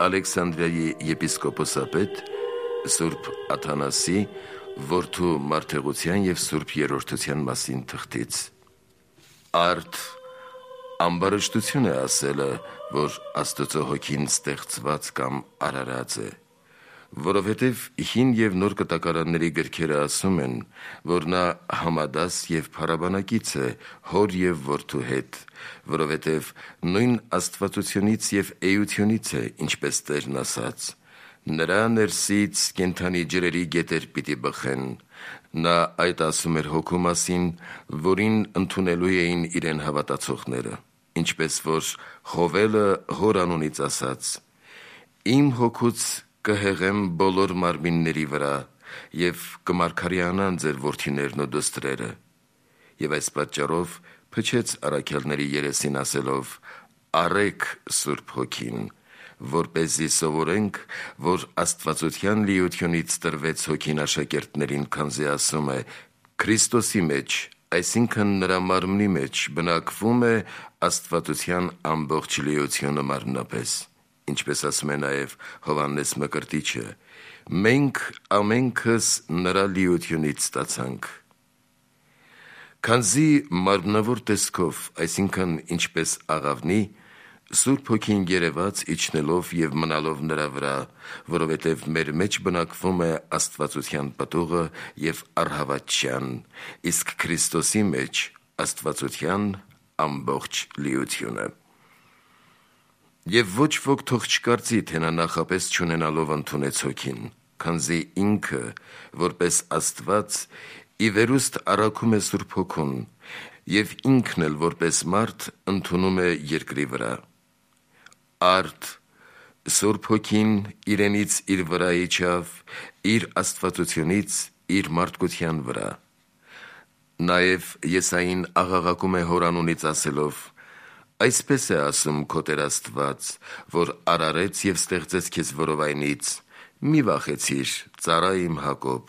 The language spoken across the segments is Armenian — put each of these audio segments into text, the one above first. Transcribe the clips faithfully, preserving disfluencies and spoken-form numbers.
Ալեքսանդրիայի եպիսկոպոսապետ Սուրբ Աթանասի որդու մարդեղության և Սուրբ Երրորդության մասին թղթից։ Արդ ամբարշտություն է ասելը, որ Աստծո հոգին ստեղծված կամ արարած է, որովհետև հին և նոր կտակարանների գրքերը ասում են, որ նա համադաս և փառաբանակից է հոր և որդու հետ, որովհետև նույն աստվածությունից և էությունից է, ինչպես Տերն ասաց. «Նրա ներսից կենդանի ջրերի գետեր պիտի բխեն»։ Նա այդ ասում էր հոգու մասին, որին ընդունելու էին իրեն հավատացողները, ինչպես որ Հովելը հոր անունից ասաց. «Իմ հոգուց կհեղեմ բոլոր մարմինների վրա և կմարգարեանան ձեր որդիներն ու դուստրերը»։ Եվ այս պատճառով փչեց առաքյալների երեսին ասելով. «Առեք Սուրբ Հոգին», որպեսզի սովորենք, որ աստվածության լիությունից տրվեց Հոգին աշակերտներին, քանզի ասում է. «Քրիստոսի մեջ, այսինքն նրա մարմնի մեջ, բնակվում է աստվածության ամբողջ լիությունը մարմնապես», ինչպես ասում է նաև Հովհաննես Մկրտիչը. «Մենք ամենքս նրա լիությունից ստացանք»։ Քանզի մարմնավոր տեսքով, այսինքն ինչպես աղավնի, Սուրբ Հոգին երևաց իջնելով և մնալով նրա վրա, որովհետև մեր մեջ բնակվում է աստվածության պտուղը և առհավատչյան, իսկ Քրիստոսի մեջ աստվածության ամբողջ լիությունը։ Եվ ոչ ոք թող չկարծի, թե նա նախապես չունենալով ընդունեց Հոգին, քանզի ինքը, որպես Աստված, ի վերուստ առաքում է Սուրբ Հոգուն, և ինքն էլ որպես մարդ ընդունում է երկրի վրա։ Արդ Սուրբ Հոգին իրենից իր վրա իջավ, իր աստվածությունից իր մարդկության վրա։ Նաև Եսային աղաղակում է հոր անունից ասելով. «Այսպես է ասում քո Տեր Աստված, որ արարեց և ստեղծեց քեզ որովայնից. մի վախեցիր, ծառա իմ Հակոբ,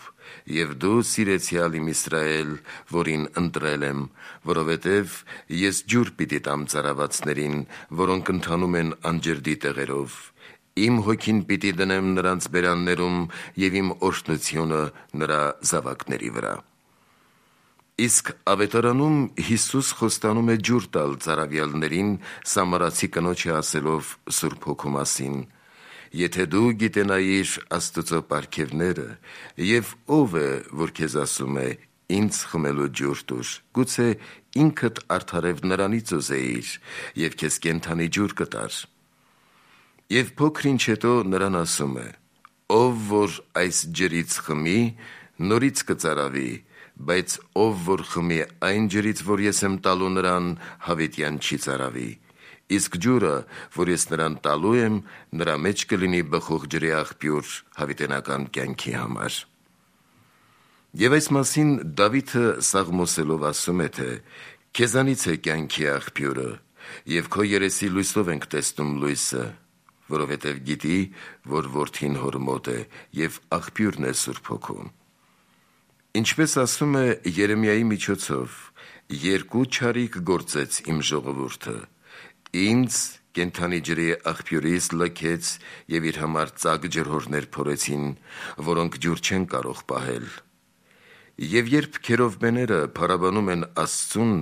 և դու սիրեցյալ իմ Իսրայել, որին ընտրել եմ, որովհետև ես ջուր պիտի տամ ծառայվածներին, որոնք ընթանում են անջրդի տեղերով. իմ Հոգին պիտի դնեմ նրանց բերաններում և իմ օրհնությունը նրա զավակների վրա»։ Իսկ Ավետարանում Հիսուս խոստանում է ջուր տալ ծառայյալներին սամարացի կնոջը ասելով Սուրբ Հոգու մասին. «Եթե դու գիտենայիր Աստծո պարգևները, և ով է, որ քեզ ասում է. ինձ խմելու ջուր տուր, գուցե ինքդ արդարև նրանից ուզեիր, և քեզ կենդանի ջուր կտար»։ Եվ փոքր ինչ հետո նրան ասում է. «Ով որ այս ջրից խմի, նորից կծարավի, բայց ով որ խմի այն ջրից, որ ես եմ տալու նրան, հավիտյան չի ծարավի, իսկ ջուրը, որ ես նրան տալու եմ, նրա մեջ կլինի բխող ջրի աղբյուր հավիտենական կյանքի համար»։ Եվ այս մասին Դավիթը սաղմոսելով ասում է, թե «Քեզանից է կյանքի աղբյուրը, և քո երեսի լույսով ենք տեսնում լույսը, որովհետև գիտի, որ որդին հոր մոտ է, և աղբյուրն է Սուրբ Հոգու»։ Ինչպես ասում է Երեմիայի միջոցով. «Երկու չարիք գործեց իմ ժողովուրդը. ինձ կենդանի ջրի աղբյուրից լքեց և իր համար ծակ ջրհորներ փորեցին, որոնք ջուր չեն կարող պահել»։ Եվ երբ քերովբեները փառաբանում են Աստծուն,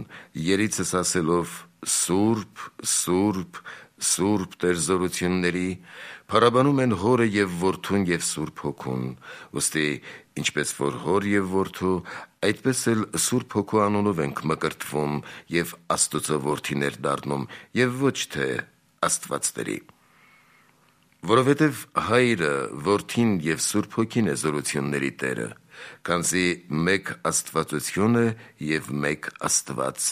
երիցս ասելով. «Սուրբ, Սուրբ, Սուրբ Տեր զորությունների», փառաբանում են Հորը և Որդուն և Սուրբ Հոգուն, ուստի ինչպես որ Հոր և Որդու, այդպես էլ Սուրբ Հոգու անունով ենք մկրտվում և Աստծո որդիներ դառնում, և ոչ թե աստվածների։ Որովհետև Հայրը, Որդին և Սուրբ Հոգին է զորությունների Տերը, քանզի մեկ աստվածություն է և մեկ Աստված։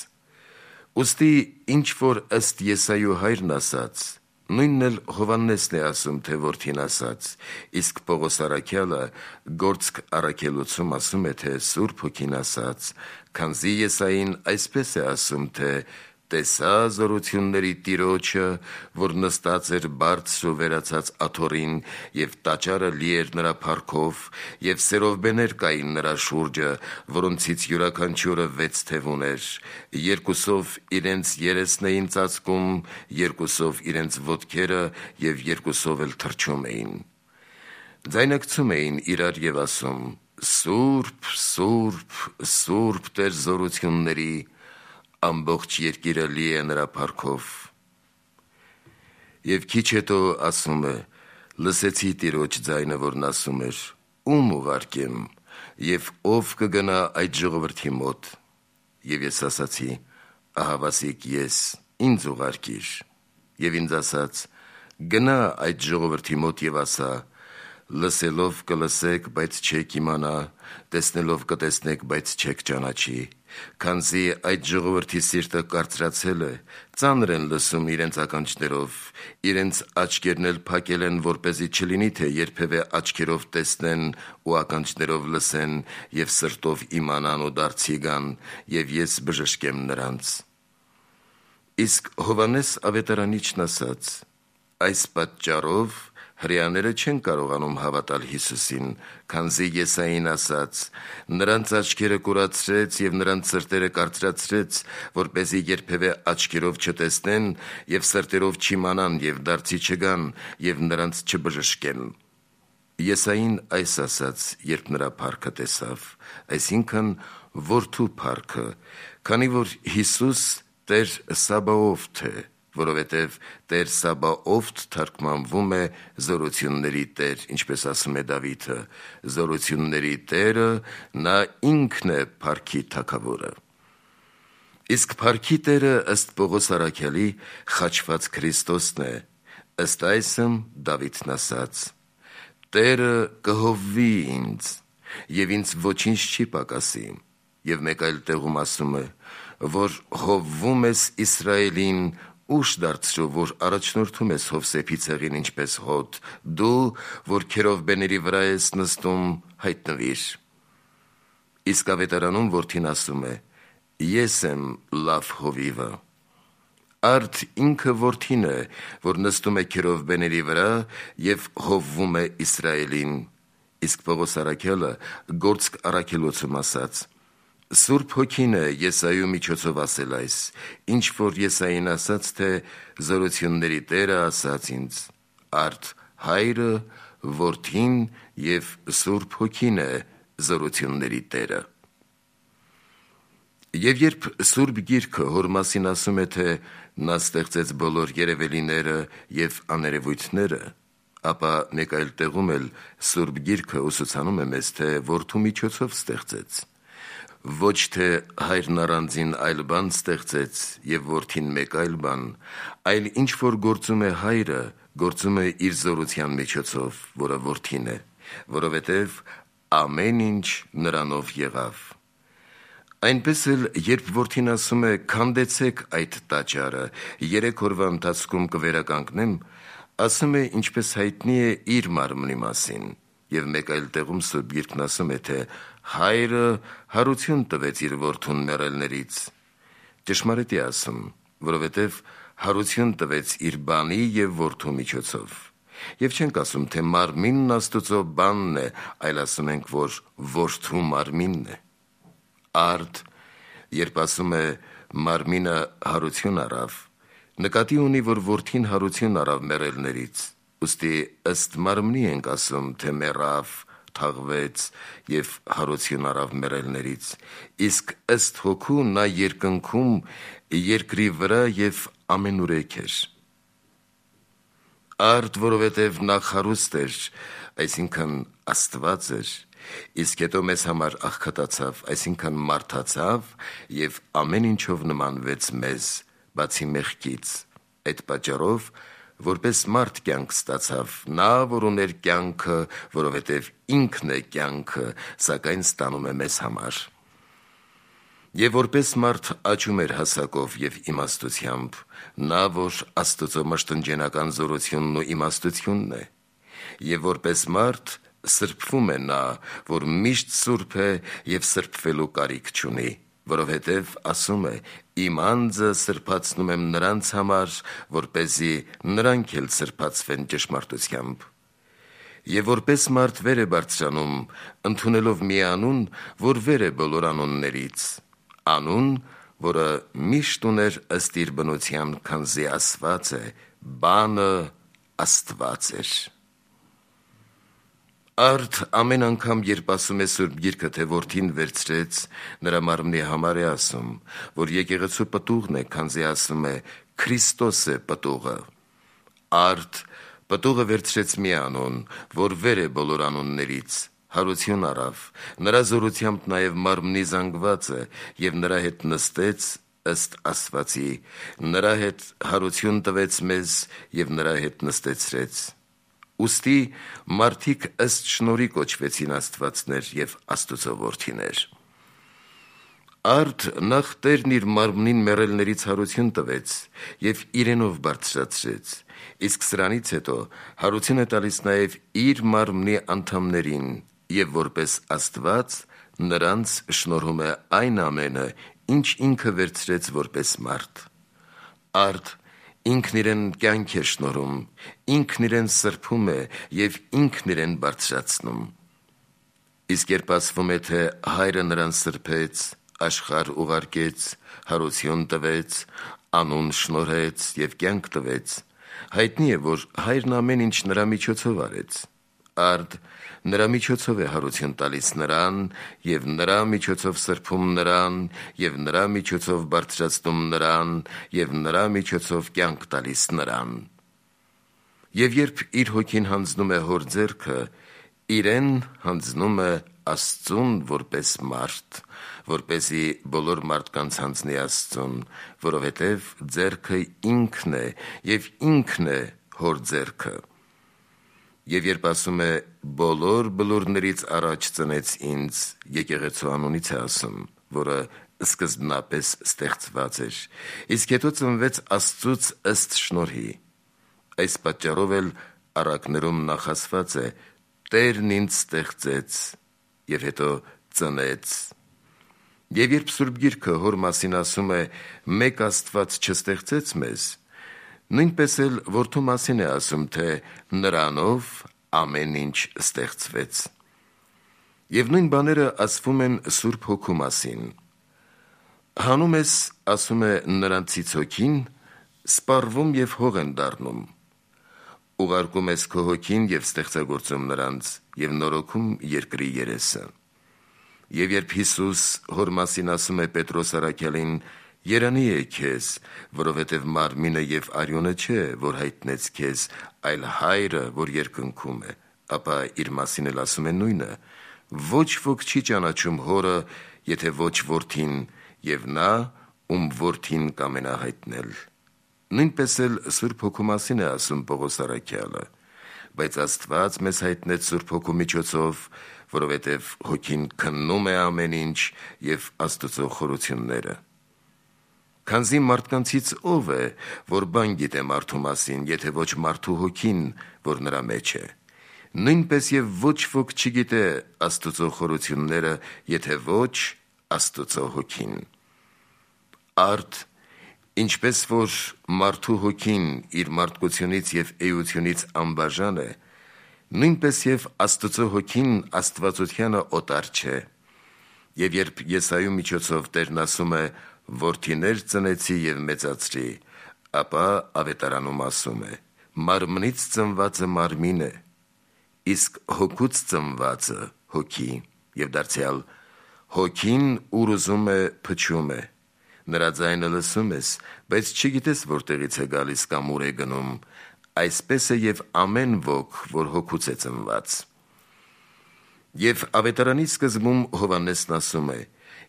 Ուստի ինչ որ ըստ Եսայու հայրն ասաց, նույնն էլ Հովհաննեսն է ասում, թե Որդին ասաց, իսկ Պողոս առաքյալը Գործք առաքելոցում ասում է, թե Սուրբ Հոգին ասաց, քանզի Եսային այսպես է ասում, թե տեսա զորությունների տիրոջը, որ նստած էր բարձր ու վերացած աթոռին, եւ տաճարը լի էր նրա փառքով, եւ սերովբեներ կային նրա շուրջը, որոնցից յուրաքանչյուրը վեց թև ուներ, երկուսով իրենց երեսն էին ծածկում, երկուսով իրենց ոտքերը եւ երկուսով էլ թռչում էին. Ձայնարկում էին իրար եւ ասում. «Սուրբ, Սուրբ, Սուրբ Տեր զորությունների, ամբողջ երկիրը լի է նրա փառքով»։ Եվ քիչ հետո ասում է. լսեցի Տիրոջ ձայնը, որն ասում էր. «Ում ուղարկեմ, եւ ով կգնա այդ ժողովրդի մոտ»։ Եվ ես ասացի. «Ահավասիկ ես, ինձ ուղարկիր»։ Եվ ինձ ասաց. «Գնա այդ ժողովրդի մոտ եւ ասա. լսելով կլսեք, բայց չեք իմանա, տեսնելով կտեսնեք, բայց չեք ճանաչի, քանզի այդ ժողովրդի սիրտը կարծրացել է, ծանր են լսում իրենց ականջներով, իրենց աչքերն էլ փակել են, որպեսզի չլինի, թե երբևէ աչքերով տեսնեն ու ականջներով լսեն եւ սրտով իմանան ու դարձի գան, եւ ես բժշկեմ նրանց»։ Իսկ Հովհաննես Ավետարանիչն ասաց. «Այս պատճառով հրեաները չեն կարողանում հավատալ Հիսուսին, քանզի Եսային ասաց. նրանց աչքերը կուրացրեց եւ նրանց սրտերը կարծրացրեց, որպեսզի երբևէ աչքերով չտեսնեն եւ սրտերով չիմանան եւ դարձի չգան եւ նրանց չբժշկեն»։ Եսային այս ասաց, երբ նրա փառքը տեսավ, այսինքն որդու փառքը, քանի որ Հիսուս Տեր Սաբաոֆթ է, որովհետև Տեր Սաբաոֆթ թարգմանվում է զորությունների Տեր, ինչպես ասում է Դավիթը, զորությունների Տերը նա ինքն է փառքի թագավորը։ Իսկ փառքի Տերը ըստ Պողոս առաքյալի խաչված Քրիստոսն է, ըստ այսմ Դավիթն ասաց. «Տերը կհովվի ինձ, եւ ինձ ոչինչ չի պակասի»։ Եվ մեկ այլ տեղում ասում է, որ հովվում ես Իսրայելին, ուշ դարձրու, որ առաջնորդում ես Հովսեփի ցեղին ինչպես հոտ, դու, որ քերովբեների վրա ես նստում, հայտնվիր։ Իսկ Ավետարանում որդին ասում է. «Ես եմ լավ հովիվը»։ Արդ ինքը որդին է, որ նստում է քերովբեների վրա եւ հովվում է Իսրայելին։ Իսկ Պողոս առաքյալը Գործք առաքելոցում ասաց. Սուրբ Հոգին է Եսայու միջոցով ասել այս, ինչ որ Եսային ասաց, թե զորությունների Տերը ասաց ինձ. արդ Հայրը, Որդին եւ Սուրբ Հոգին է զորությունների Տերը։ Եվ երբ Սուրբ Գիրքը հոր մասին ասում է, թե նա ստեղծեց բոլոր երևելիները եւ աներևույթները, ապա մեկ այլ տեղում էլ Սուրբ Գիրքը ուսուցանում է մեզ, թե Որդու միջոցով ստեղծեց։ Ոչ թե Հայրն առանձին այլ բան ստեղծեց եւ Որդին մեկ այլ բան, այլ ինչ որ գործում է Հայրը, գործում է իր զորության միջոցով, որը Որդին է, որովհետեւ ամեն ինչ նրանով եղավ։ Այնպես էլ, երբ Որդին ասում է «Քանդեցեք այդ տաճարը, երեք օրվա ընթացքում կվերականգնեմ», ասում է, ինչպես հայտնի է իր մարմնի մասին։ Եվ մեկ այլ տեղում Սուրբ Գիրքն ասում է, թե Հայրը հարություն տվեց իր Որդուն մեռելներից։ Ճշմարիտ է ասում, որովհետև հարություն տվեց իր բանի եւ Որդու միջոցով։ Եվ չենք ասում, թե մարմինն Աստծո բանն է, այլ ասում ենք, որ Որդու մարմինն է։ Արդ, երբ ասում է մարմինը հարություն առավ, նկատի ունի, որ Որդին հարություն առավ մեռելներից, ուստի ըստ մարմնի ենք ասում, թե մեռավ, թաղվեց եւ հարություն առավ մեռելներից, իսկ ըստ Հոգու նա երկնքում, երկրի վրա եւ ամենուրեք էր։ Արդ, որովհետև նա խարուստ էր, այսինքն Աստված էր, իսկ հետո մեզ համար աղքատացավ, այսինքն մարդացավ եւ ամեն ինչով նմանվեց մեզ, բացի մեղքից։ Այդ պատճառով, որպես մարդ կյանք ստացավ, նա, որ ուներ կյանքը, որովհետև ինքն է կյանքը, սակայն ստանում է մեզ համար։ Եվ որպես մարդ աճում էր հասակով եւ իմաստությամբ, նա, որ Աստծո մշտնջենական զորությունն ու իմաստությունն է, եւ որպես մարդ սրբվում է նա, որ միշտ սուրբ է եւ սրբվելու կարիք չունի, որովհետև ասում է. «Իմ անձը սրբացնում եմ նրանց համար, որպեսզի նրանք էլ սրբացվեն ճշմարտությամբ»։ Եվ որպես մարդ վեր է բարձրանում, ընդունելով մի անուն, որ վեր է բոլոր անուններից, անուն, որը միշտ ուներ ըստ իր բնության, քանզի ասված է. «Բանը Աստված էր»։ Արդ ամեն անգամ, երբ ասում է Սուրբ Գիրքը, թե որդին վերցրեց նրա մարմնի համար է ասում, որ եկեղեցու պտուղն է, քանզի ասում է. «Քրիստոս է պտուղը»։ Արդ պտուղը վերցրեց մի անուն, որ վեր է բոլոր անուններից, հարություն առավ, նրա զորությամբ նաև մարմնի զանգված է, և նրա հետ նստեց ըստ ասվածի, նրա հետ հարություն տվեց մեզ և նրա հետ նստեցրեց։ Ուստի մարդիկ ըստ շնորհի կոչվեցին աստվածներ և Աստծո որդիներ։ Արդ նախ Տերն իր մարմնին մեռելներից հարություն տվեց և իրենով բարձրացրեց, իսկ սրանից հետո հարություն է տալիս նաև իր մարմնի անդամներին և որպես Աստված նրանց շնորհում է այն ամենը, ինչ ինքը վերցրեց որպես մարդ։ Արդ ինքն իրեն կյանք է շնորհում, ինքն իրեն սրբում է և ինքն իրեն բարձրացնում։ Իսկ երբ ասվում է, թե Հայրը նրան սրբեց, աշխարհ ուղարկեց, հարություն տվեց, անուն շնորհեց և կյանք տվեց, հայտնի է, որ Հայրն ամեն ինչ նրա միջոցով արեց։ Արդ նրա միջոցով է հարություն տալիս նրան և նրա միջոցով սրբում նրան և նրա միջոցով բարձրացնում նրան և նրա միջոցով կյանք տալիս նրան։ Եվ երբ իր հոգին հանձնում է հոր ձեռքը, իրեն հանձնում է Աստծուն որպես մարդ, որպեսզի բոլոր մարդկանց հանձնի Աստծուն, որովհետև ձեռքը ինքն է և ինքն է հոր ձեռքը։ Եվ երբ ասում է. «Բոլոր բլուրներից առաջ ծնեց ինձ», եկեղեցու անունից է ասում, որը սկզբնապես ստեղծված էր, իսկ հետո ծնվեց Աստծուց ըստ շնորհի։ Այս պատճառով էլ առակներում նախ ասված է. «Տերն ինձ ստեղծեց» և հետո ծնեց։ Եվ երբ Սուրբ Գիրքը հոր մասին ասում է. «Մեկ Աստված չստեղծեց մեզ», նույնպես էլ որդու մասին է ասում, թե նրանով ամեն ինչ ստեղծվեց։ Եվ նույն բաները ասվում են Սուրբ Հոգու մասին։ Հանում ես, ասում է, նրանցից հոգին, սպառվում և հող են դառնում։ Ուղարկում ես քո հոգին և ստեղծագործում նրանց և նորոգում երկրի երեսը։ Եվ երբ Հիսուս հոր մասին ասում է Պետրոս առաքյալին. «Երանի է քեզ, որովհետև մարմինը և արյունը չէ, որ հայտնեց քեզ, այլ Հայրը, որ երկնքում է», ապա իր մասին էլ ասում է նույնը. «Ոչ ոք չի ճանաչում Հորը, եթե ոչ Որդին, և նա, ում Որդին կամենա հայտնել»։ Նույնպես էլ Սուրբ Հոգու մասին է ասում Պողոս առաքյալը. «Բայց Աստված մեզ հայտնեց Սուրբ Հոգու միջոցով, որովհետև Հոգին քննում է ամեն ինչ և Աստծո խորությունները»։ Քանզի մարդկանցից ո՞վ է, որ բան գիտե մարդու մասին, եթե ոչ մարդու հոգին, որ նրա մեջ է։ Նույնպես և ոչ ոք չգիտե Աստծո խորությունները, եթե ոչ Աստծո Հոգին։ Արդ ինչպես որ մարդու հոգին իր մարդկությունից և էությունից անբաժան է, նույնպես և Աստծո Հոգին աստվածությանը օտար չէ։ Եվ երբ Եսայու միջոցով Տերն ասում է. «Որդիներ ծնեցի և մեծացրի», ապա Ավետարանում ասում է. «Մարմնից ծնվածը մարմին է, իսկ հոգուց ծնվածը հոգի», և դարձյալ. «Հոգին ուր ուզում է փչում է, նրա ձայնը լսում ես, բայց չգիտես որտեղից է գալիս կամ ուր է գնում, այսպես է և ամեն ոք, որ հոգուց է ծնված»։ Եվ Ավետարանի սկզբում Հովհաննեսն ասում է.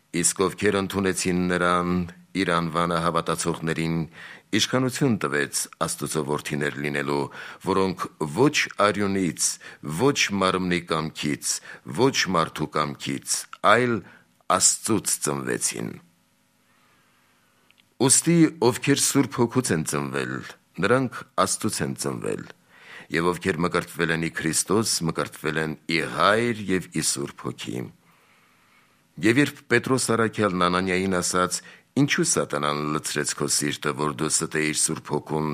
«Իսկ ովքեր ընդունեցին նրան, իր անվանը հավատացողներին, իշխանություն տվեց Աստծո որդիներ լինելու, որոնք ոչ արյունից, ոչ մարմնի կամքից, ոչ մարդու կամքից, այլ Աստծուց ծնվեցին»։ Ուստի ովքեր Սուրբ Հոգուց են ծնվել, նրանք Աստծուց են ծնվել, և ովքեր մկրտվել են ի Քրիստոս, մկրտվել են ի Հայր և ի Սուրբ Հոգի։ Եվ երբ Պետրոս առաքյալն Անանիային ասաց. «Ինչու սատանան լցրեց քո սիրտը, որ դու ստեիր Սուրբ Հոգուն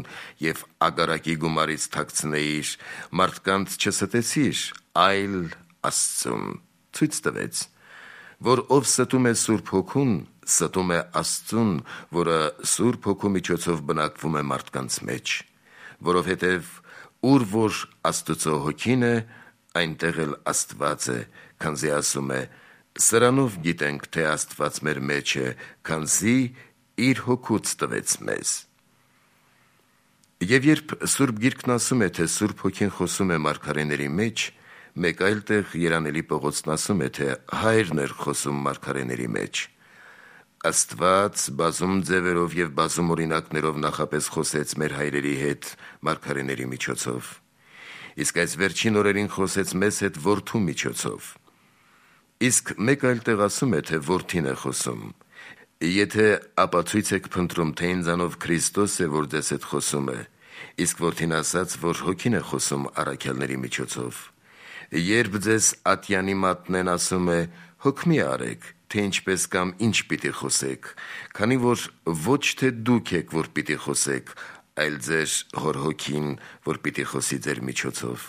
և ագարակի գումարից թաքցնեիր, մարդկանց չստեցիր, այլ Աստծուն», ցույց տվեց, որ ով ստում է Սուրբ Հոգուն, ստում է Աստծուն, որը Սուրբ Հոգու միջոցով բնակվում է մարդկանց մեջ, որովհետև ուր որ Աստծո Հոգին է, այնտեղ էլ Աստված է, քանզի ասում է. «Սրանով գիտենք, թե Աստված մեր մեջ է, քանզի իր Հոգուց տվեց մեզ»։ Եվ երբ Սուրբ Գիրքն ասում է, թե Սուրբ Հոգին խոսում է մարգարեների մեջ, մեկ այլ տեղ Երանելի Պողոսն ասում է, թե Հայրն էր խոսում մարգարեների մեջ։ Աստված բազում ձևերով և բազում օրինակներով նախապես խոսեց մեր հայրերի հետ մարգարեների միջոցով, իսկ այս վերջին օրերին խոսեց մեզ հետ Որդու միջոցով։ Իսկ մեկ այլ տեղ ասում է, թե Որդին է խոսում. «Եթե ապացույց եք փնտրում, թե ինձանով Քրիստոս է, որ ձեզ հետ խոսում է, իսկ Որդին ասաց, որ Հոգին է խոսում առաքյալների միջոցով։ Երբ ձեզ ատյանի մատնեն, ասում է. հոգ մի արեք, թե ինչպես կամ ինչ պիտի խոսեք, քանի որ ոչ թե դուք եք, որ պիտի խոսեք, այլ ձեր Հոր Հոգին, որ պիտի խոսի ձեր միջոցով»։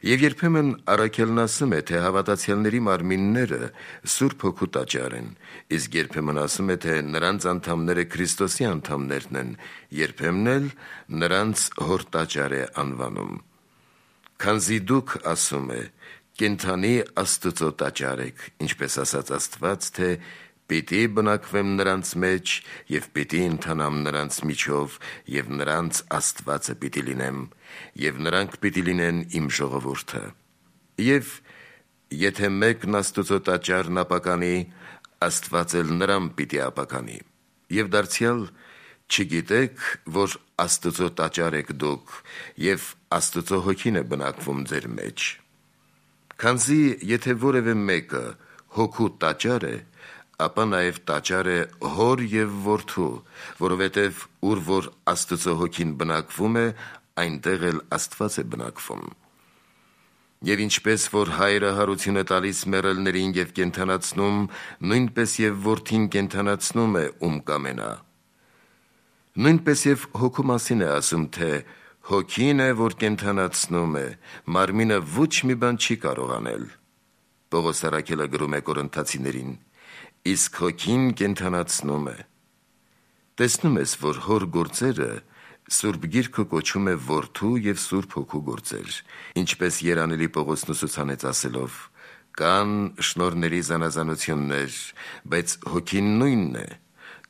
Եվ երբեմն առաքյալն ասում է, թե հավատացյալների մարմինները Սուրբ Հոգու տաճար են, իսկ երբեմն ասում է, թե նրանց անդամները Քրիստոսի անդամներն են, երբեմն էլ նրանց Հոր տաճար է անվանում։ Քանզի դուք, ասում է, կենդանի Աստծո տաճար եք, ինչպես ասաց Աստված, թե «Պիտի բնակվեմ նրանց մեջ և պիտի ընթանամ նրանց միջով, և նրանց Աստվածը պիտի լինեմ, և նրանք պիտի լինեն իմ ժողովուրդը»։ Եվ եթե մեկն Աստծո տաճարն ապականի, Աստված էլ նրան պիտի ապականի։ Եվ դարձյալ չգիտեք, որ Աստծո տաճար եք դուք, և Աստծո Հոգին է բնակվում ձեր մեջ։ Քանզի եթե որևէ մեկը Հոգու տաճար է, ապա նաև տաճար է Հոր և Որդու, որովհետև ուր որ Աստծո Հոգին բնակվում է, այնտեղ էլ Աստված է բնակվում։ Եվ ինչպես որ Հայրը հարություն է տալիս մեռելներին և կենդանացնում, նույնպես և Որդին կենդանացնում է, ում կամենա։ Նույնպես և Հոգու մասին է ասում, թե «Հոգին է, որ կենդանացնում է, մարմինը ոչ մի բան չի կարող անել»։ Պողոս առաքյալը գրում է Կորինթացիներին. «Իսկ Հոգին կենդանացնում է»։ Տեսնում ես, որ Հոր գործերը Սուրբ Գիրքը կոչում է Որդու և Սուրբ Հոգու գործեր, ինչպես Երանելի Պողոսն ուսուցանեց ասելով. «Կան շնորհների զանազանություններ, բայց Հոգին նույնն է,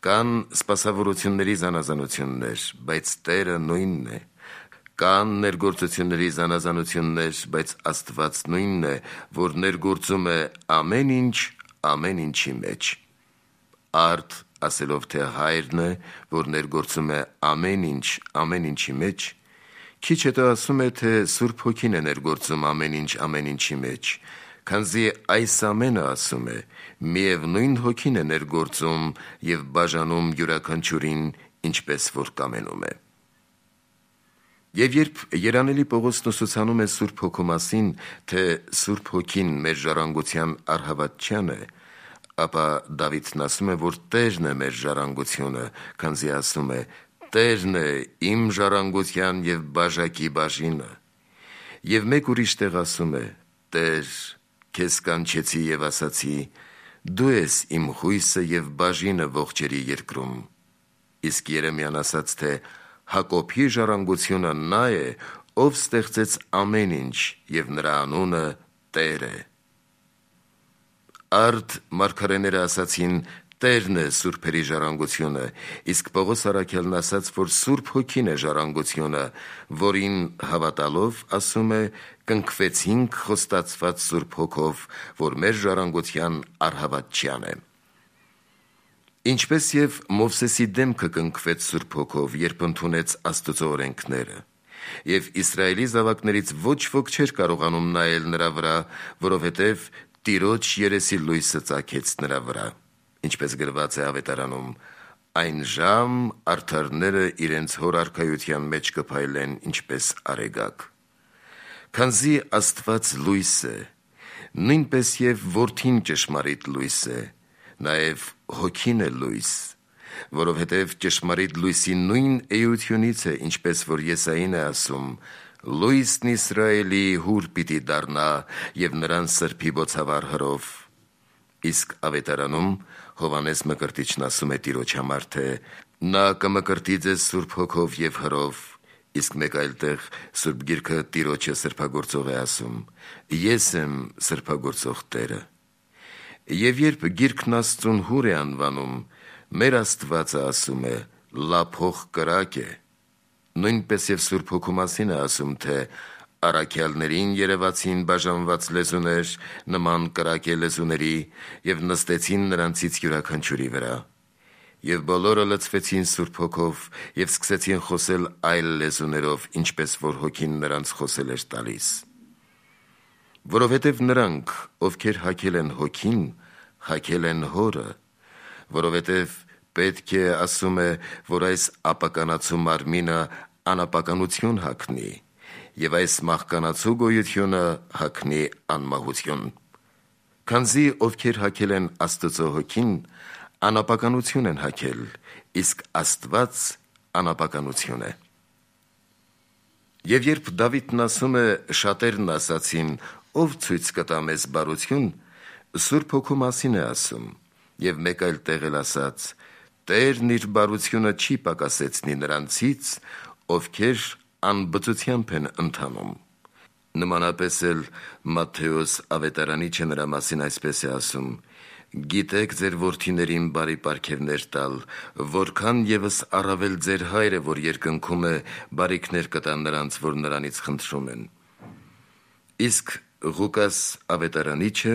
կան սպասավորությունների զանազանություններ, բայց Տերը նույնն է, կան ներգործությունների զանազանություններ, բայց Աստված նույնն է, որ ներգործում է ամեն ինչ ամեն ինչի մեջ»։ Արդ ասելով, թե Հայրն է, որ ներգործում է ամեն ինչ ամեն ինչի մեջ, քիչ հետո ասում է, թե Սուրբ Հոգին է ներգործում ամեն ինչ ամեն ինչի մեջ, քանզի այս ամենը, ասում է, միևնույն Հոգին է ներգործում և բաժանում յուրաքանչյուրին, ինչպես որ կամենում է։ Եվ երբ Երանելի Պողոսն ուսուցանում է Սուրբ Հոգու մասին, թե Սուրբ Հոգին մեր ժառանգության առհավատչյան է, ապա Դավիթն ասում է, որ Տերն է մեր ժառանգությունը, քանզի ասում է. «Տերն է իմ ժառանգության և բաժակի բաժինը»։ Եվ մեկ ուրիշ տեղ ասում է. «Տեր, քեզ կանչեցի և ասացի. դու ես իմ հույսը և բաժինը ողջերի երկրում»։ Իսկ Երեմիան ասաց, թե Հակոբի ժառանգությունը նա է, ով ստեղծեց ամեն ինչ, և նրա անունը Տեր է։ Արդ մարգարեները ասացին. «Տերն է սուրբերի ժառանգությունը», իսկ Պողոս առաքյալն ասաց, որ Սուրբ Հոգին է ժառանգությունը, որին հավատալով, ասում է, կնքվեցինք խոստացված Սուրբ Հոգով, որ մեր ժառանգության առհավատչյան է։ Ինչպես և Մովսեսի դեմքը կնքվեց Սուրբ Հոգով, երբ ընդունեց Աստծո օրենքները, և Իսրայելի զավակներից ոչ ոք չէր կարողանում նայել նրա վրա, որովհետև Տիրոջ երեսի լույսը ծագեց նրա վրա, ինչպես գրված է Ավետարանում. «Այն ժամ արդարները իրենց հոր արքայության մեջ կփայլեն, ինչպես արեգակ»։ Քանզի Աստված լույս է, նույնպես և որդին ճշմարիտ լույս է, նաև հոգին է լույս, որովհետև ճշմարիտ լույսի նույն էությունից է, ինչպես որ Եսային է ասում. «Լույսն Իսրայելի հուր պիտի դառնա և նրան սրբի բոցավառ հրով»։ Իսկ ավետարանում Հովհաննես Մկրտիչն ասում է Տիրոջ համար, թե նա կմկրտի ձեզ Սուրբ Հոգով և հրով, իսկ մեկ այլ տեղ Սուրբ Գիրքը Տիրոջը սրբագործող է ասում. «Ես եմ սրբագործող Տերը»։ Եվ երբ Գիրքն Աստծուն հուր է անվանում, մեր Աստվածը ասում է. «Լափող կրակ է»։ Նույնպես և Սուրբ Հոգու մասին է ասում, թե առաքյալներին երևացին բաժանված լեզուներ, նման կրակե լեզուների, և նստեցին նրանցից յուրաքանչյուրի վրա։ Եվ բոլորը լցվեցին Սուրբ Հոգով և սկսեցին խոսել այլ լեզուներով, ինչպես որ Հոգին նրանց խոսել էր տալիս։ Որովհետև նրանք, ովքեր հագել են Հոգին, հագել են Հորը, որովհետև պետք է, ասում է, որ այս ապականացու մարմինը անապականություն հագնի, և այս մահկանացու գոյությունը հագնի անմահություն։ Քանզի ովքեր հագել են Աստծո Հոգին, անապականություն են հագել, իսկ Աստված անապականություն է։ Եվ երբ Դավիթն ասում է. «Շատերն ասացին. ով ցույց կտա մեզ բարություն», Սուրբ Հոգու մասին է ասում, և մեկ այլ տեղ էլ ասաց. «Տերն իր բարությունը չի պակասեցնի նրանցից, ովքեր անբծությամբ են ընթանում»։ Նմանապես էլ Մատթեոս ավետարանիչը նրա մասին այսպես է ասում. «Գիտեք ձեր որդիներին բարի պարգևներ տալ, որքան ևս առավել ձեր Հայրը, որ երկնքում է, բարիքներ կտա նրանց, որ նրանից խնդրում են»։ Իսկ Ղուկաս ավետարանիչը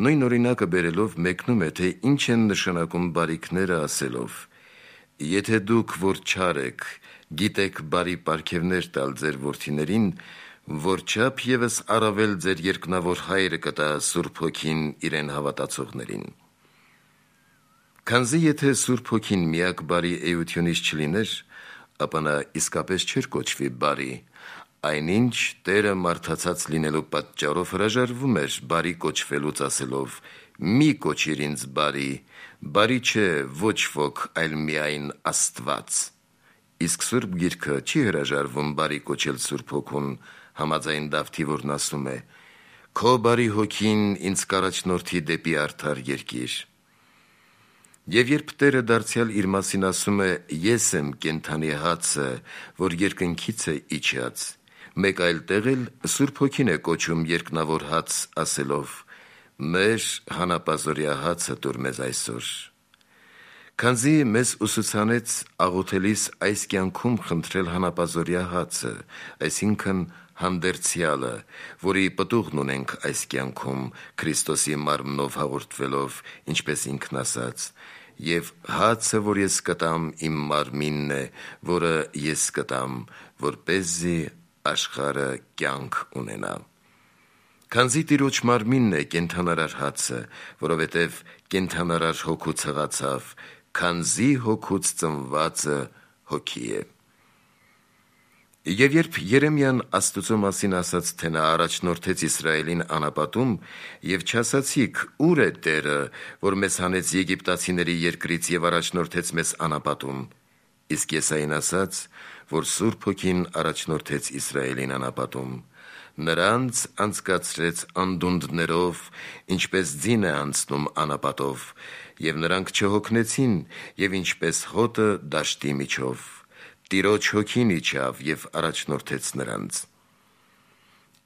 նույն օրինակը բերելով մեկնում է, թե ինչ են նշանակում բարիքները ասելով. «Եթե դուք, որ չար եք, գիտեք բարի պարգևներ տալ ձեր որդիներին, որչափ ևս առավել ձեր երկնավոր Հայրը կտա Սուրբ Հոգին իրեն հավատացողներին»։ Քանզի եթե Սուրբ Հոգին միակ բարի էությունից չլիներ, ապա նա իսկապես չէր կոչվի բարի, այնինչ Տերը մարդացած լինելու պատճառով հրաժարվում էր բարի կոչվելուց, ասելով. «Մի կոչիր ինձ բարի, բարի չէ ոչ ոք, այլ միայն Աստված»։ Իսկ Սուրբ Գիրքը չի հրաժարվում բարի կոչել Սուրբ Հոգուն, համաձայն Դավթի, որն ասում է. «Քո բարի Հոգին ինձ կառաջնորդի դեպի արդար երկիր»։ Եվ երբ Տերը դարձյալ իր մասին ասում է. «Ես եմ կենդանի հացը, որ երկնքից է իջած», մեկ այլ տեղ էլ Սուրբ Հոգին է կոչում երկնավոր հաց, ասելով. «Մեր հանապազօրյա հացը տուր մեզ այսօր»։ Քանզի մեզ ուսուցանեց աղոթելիս այս կյանքում խնդրել հանապազօրյա հացը, այսինքն հանդերձյալը, որի պտուղն ունենք այս կյանքում, Քրիստոսի մարմնով հաղորդվելով, ինչպես ինքն ասաց. «Եվ հացը, որ ես կտամ, իմ մարմինն է, որը ես կտամ, որպեսզի աշխարհը կյանք ունենա»։ Քանզի Տիրոջ մարմինն է կենդանարար հացը, որովհետև կենդանարար Հոգու ցղացավ, քանզի Հոգուց ծնվածը Հոգի է։ Եվ երբ Երեմիան Աստծո մասին ասաց, թե նա առաջնորդեց Իսրայելին անապատում, և չասացիք. «Ո՞ւր է Տերը, որ մեզ հանեց եգիպտացիների երկրից և առաջնորդեց մեզ անապատում», իսկ Եսային ասաց, որ Սուրբ Հոգին առաջնորդեց Իսրայելին անապատում, նրանց անցկացրեց անդունդներով, ինչպես ձին է անցնում անապատով, և նրանք չհոգնեցին, և ինչպես հոտը դաշտի միջով, Տիրոջ Հոգին իջավ և առաջնորդեց նրանց։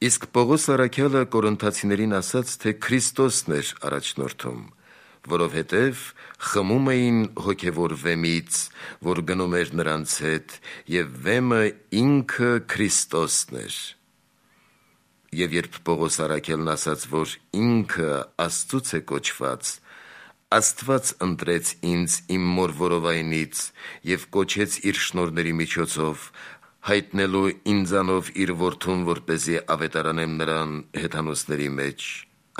Իսկ Պողոս առաքյալը Կորինթացիներին ասաց, թե Քրիստոսն էր առաջնորդում, որովհետև խմում էին հոգևոր վեմից, որ գնում էր նրանց հետ, և վեմը ինքը Քրիստոսն էր։ Եվ երբ Պողոս առաքյալն ասաց, որ ինքը Աստծուց է կոչված, Աստված ընտրեց ինձ իմ մոր որովայնից և կոչեց իր շնորհների միջոցով, հայտնելու ինձանով իր որդուն, որպեսզի ավետարանեմ նրան հեթանոսների մեջ,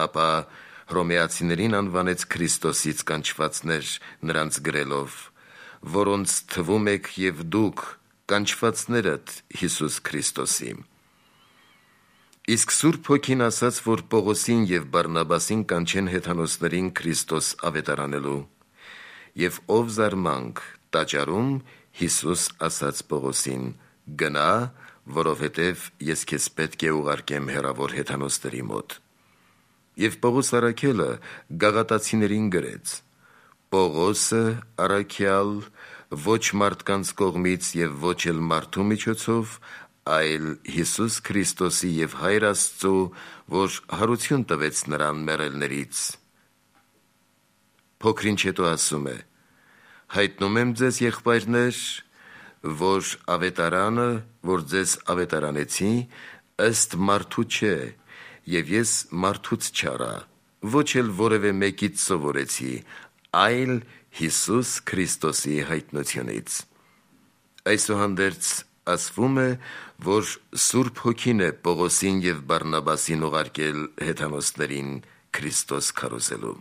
ապա Հռոմեացիներին անվանեց Քրիստոսից կանչվածներ, նրանց գրելով. «Որոնց թվում եք և դուք, կանչվածներդ Հիսուս Քրիստոսի»։ Իսկ Սուրբ Հոգին ասաց, որ Պողոսին և Բարնաբասին կանչեն հեթանոսներին Քրիստոս ավետարանելու։ Եվ ով զարմանք տաճարում Հիսուս ասաց Պողոսին. «Գնա, որովհետև ես քեզ պետք է ուղարկեմ հեռավոր հեթանոսների մոտ»։ Եվ Պողոս առաքյալը գաղատացիներին գրեց. «Պողոսը առաքյալ, ոչ մարդկանց կողմից և ոչ էլ մարդու միջոցով, այլ Հիսուս Քրիստոսի և Հայր Աստծու, որ հարություն տվեց նրան մեռելներից»։ Փոքր ինչ հետո ասում է. «Հայտնում եմ ձեզ, եղբայրներ, որ ավետարանը, որ ձեզ ավետարանեցի, ըստ մարդու չէ, և ես մարդուց չառա, ոչ էլ որևէ մեկից սովորեցի, այլ Հիսուս Քրիստոսի հայտնությունից»։ Այսուհանդերձ ասվում է, որ Սուրբ Հոգին է Պողոսին և Բարնաբասին ուղարկել հեթանոսներին Քրիստոս քարոզելու։